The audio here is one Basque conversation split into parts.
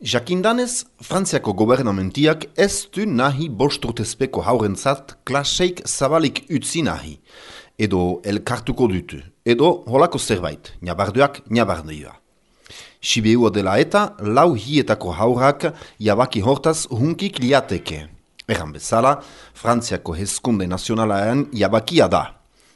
Jakindanez, Frantziako gobernamentiak ez du nahi 5 urtezpeko haurentzat klaseik zabalik utzi nahi, edo elkartuko dutu, edo holako zerbait, nabarduak. Sibeua dela eta, 4 hietako haurrak jabaki hortaz hunkik liateke. Erran bezala, Frantziako hezkunde nazionalaen jabakia da.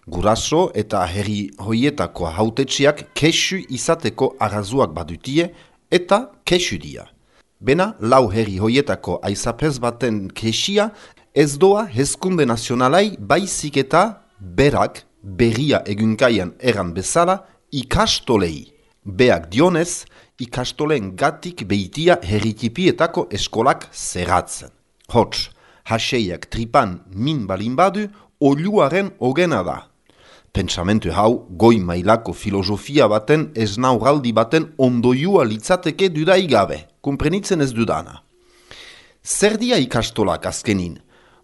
Guraso eta herri hoietako hautetxiak kesu izateko arrazuak badutie eta kesu dia. Bena, 4 herri hoietako aizapez baten kesia ez doa hezkunde nazionalai baizik eta berak berria egunkaian erran bezala ikastolei. Beak dionez, ikastolen gatik behitia herritipietako eskolak zerratzen. Hots, haseiak tripan min balin badu, oluaren ogena da. Pentsamentu hau, goi mailako filosofia baten esnauraldi baten ondoiua litzateke dudaigabe, kumprenitzen ez dudana. Zer dia ikastolak azkenin?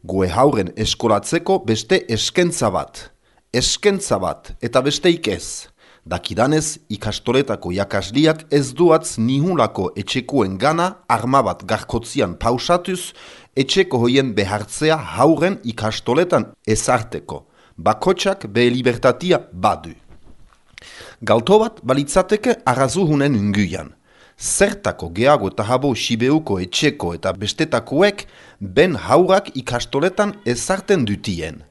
Goe hauren eskolatzeko beste eskentza bat, eta besteik ez. Dakidanez, ikastoletako jakasliak ez duatz nihulako etxekoen gana arma bat garkotzian pausatuz, etxeko hoien behartzea hauren ikastoletan ezarteko. Bakotxak behe libertatia badu. Galto bat balitzateke arrazuhunen unguian. Zertako geago eta habo Sibeuko etxeko eta bestetakoek ben haurak ikastoletan ezarten dutien.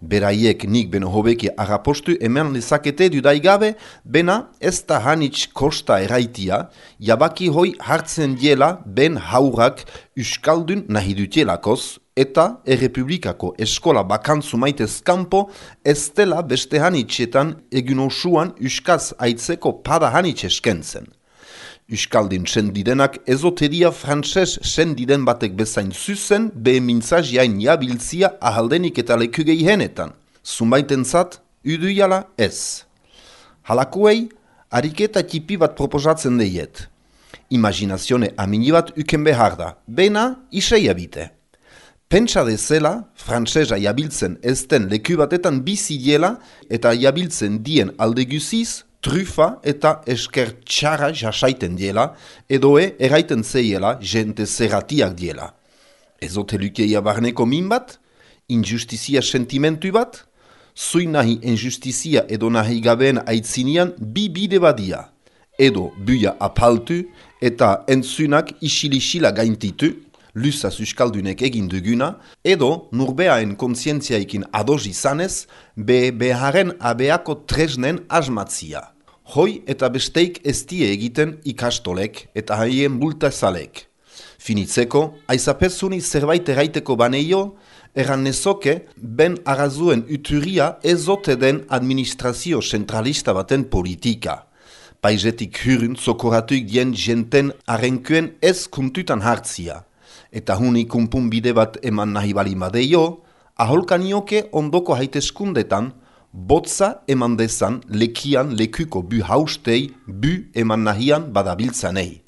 Beraiek nik beno hobeki arrapostu eman lezakete dudaigabe, bena ez da hanitz kosta eraitia, jabaki hoi hartzen diela ben haurak uskaldun nahi dutielakoz, eta errepublikako eskola bakantzu maitez kanpo ez dela beste hanitzetan egun osuan uskaz aitzeko pada hanitz eskentzen. Euskaldin sendidenak ezoteria frantses sendiden batek bezain zuzen behe mintzaziain jabiltzia ahaldenik eta lekugei henetan. Zunbaitentzat, uduiala ez. Halakuei, ariketa tipi bat proposatzen deiet. Imaginazione amini bat uken behar da, bena isei abite. Pentsa dezela, frantsesa jabiltzen ezten leku batetan bizi diela eta jabiltzen dien aldeguziz, trufa eta esker txara jasaiten diela, edoe eraiten zeiela jente zerratiak diela. Ezote lukeia barneko min bat? Injustizia sentimentu bat? Zui nahi injustizia edo nahi gabeen aitzinian bi bide badia. Edo buia apaltu eta entzunak isilisila gaintitu, lusaz euskaldunek egin duguna, edo nurbeaen kontzientziaikin ados izanez, beharen abeako tresnen asmatzia. Hoi eta besteik ez die egiten ikastolek eta haien bultazalek. Finitzeko, aizapezuni zerbait eraiteko baneio, erran nezoke ben arrazuen uturia ezote den administrazio zentralista baten politika. Paizetik hurun zokoratuik dien jenten arenkuen ez kuntutan hartzia. Eta huni kumpun bide bat eman nahi balin badeio, aholkanioke ondoko haiteskundetan, botza eman dezan lekian lekuko bu haustei bu eman nahian badabiltzanei.